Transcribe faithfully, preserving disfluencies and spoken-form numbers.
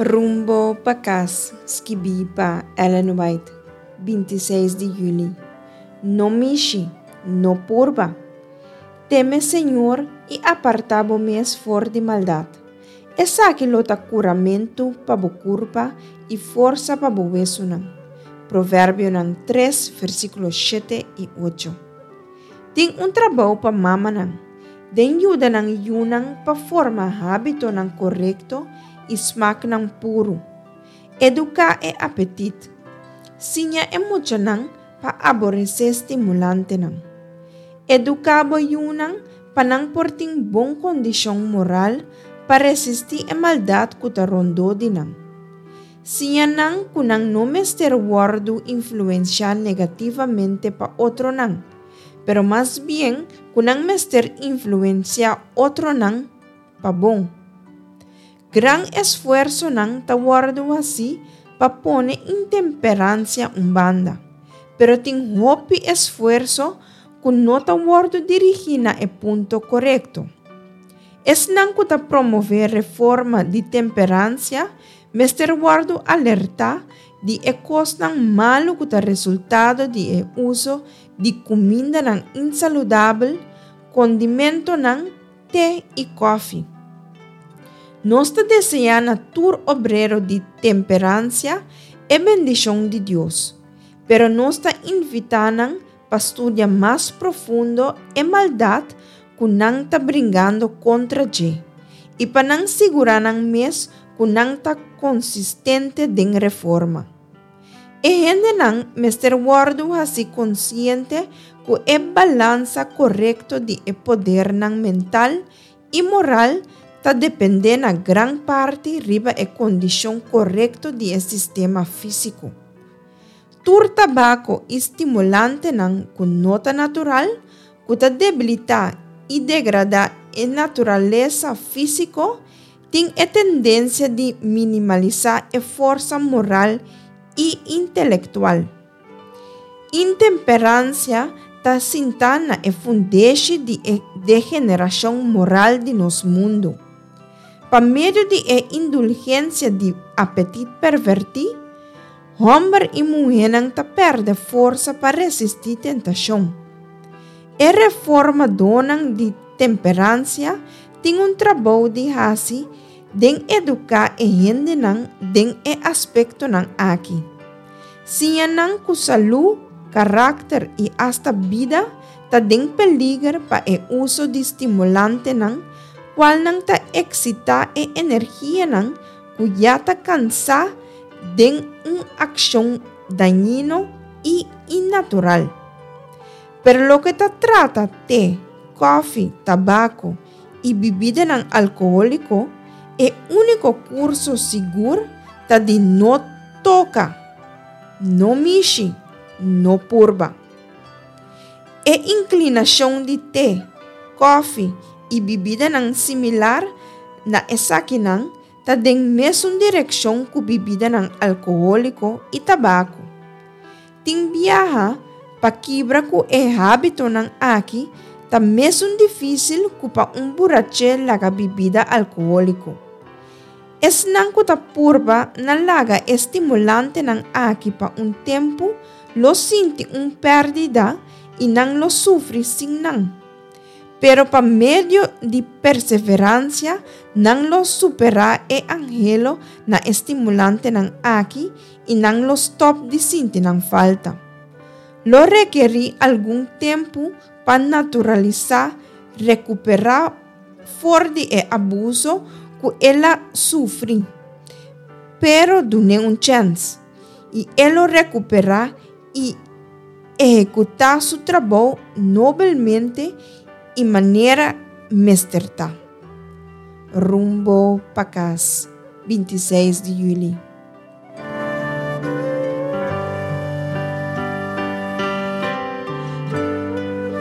Rumbo pa kas, skibí pa Ellen White, binti seis di yüli. No mishi, no purba. Teme Señor i apartá bo mes for di maldat. Esaki lo ta kuramentu pa bo kurpa i forsa pa bo wesunan. Proverbionan tres, versíkulo shete i ocho. Tin un trabou pa mamanan, den yuda nan yunan pa forma hábitonan korekto i smaknan puru. Eduká e apetit. Siña e muchanan pa aboresé stimulantenan. Eduká bo yunan pa nan por tin bon kondishon moral pa resistí e maldat ku ta rondó di nan. Siña nan ku nan no mester wòrdu influensiá negativamente pa otronan, pero mas bien ku nan mester influensiá otronan pa bon. Gran esfuersonan ta wòrdu hasí pa pone intemperansia un banda, pero tin hopi esfuerso ku no ta wòrdu dirigí na e punto korekto. Esnan ku ta promové reforma di temperansia mester wòrdu alertá di e kosnan malu ku ta resultado di e uso di kumindanan insaludabel, kondimentonan, te i kòfi. Nos ta deseá na tur obrero di temperansia e bendishon di Dios, pero nos ta invitá nan pa studia mas profundo e maldat ku nan ta bringando kontra dje i pa nan sigurá nan mes ku nan ta konsistente den reforma. E hendenan mester wòrdu hasi konsiente ku e balansa korekto di e podernan mental i moral ta dependé na gran parti riba e kondishon korekto di e sistema físiko. Tur tabako i stimulantenan ku no ta natural, ku ta debilitá i degradá e naturalesa físiko, tin e tendensia di minimalisá e forsa moral i intelektual. Intemperansia ta sintá na e fundeshi di e degenerashon moral di nos mundu. Pa medio di e indulgensia di apetit pervertí, hòmber i muhénan ta pèrdè forsa pa resistí tentashon. E reformadónan di temperansia tin un trabou di hasi den eduká e hendenan den e aspektonan aki. Siña nan ku salú, karakter i asta bida ta den peliger pa e uso di stimulantenan, kualnan ta eksitá e energianan ku ya ta kansá den un akshon dañino i innatural. Pero loke ta trata te, kòfi, tabako i bibidanan alkohóliko, e úniko kurso sigur ta di no toka, no mishi, no purba. E inklinashon di te, kòfi i bibidanan similar na esakinan ta den mesun direkshon ku bibidanan alkohóliko i tabako. Tin biaha pa kibra ku e hábitonan aki ta mesun difísil ku pa un buraché laga bibida alkohóliko. Esnan ku ta purba na laga e stimulantenan aki pa un tempu lo sinti un pèrdida i nan lo sufri sin nan. Pero pa medio di perseveransia nan lo superá e anhelo na e stimulantenan aki i nan lo stòp di sinti nan falta. Lo rekerí algun tempu pa naturalisá rekuperá for di e abuso ku el a sufri. Pero dun'é un chèns i e lo rekuperá i ehekutá su trabou nobelmente i manera mester ta. Rumbo pa kas, binti seis di yüli.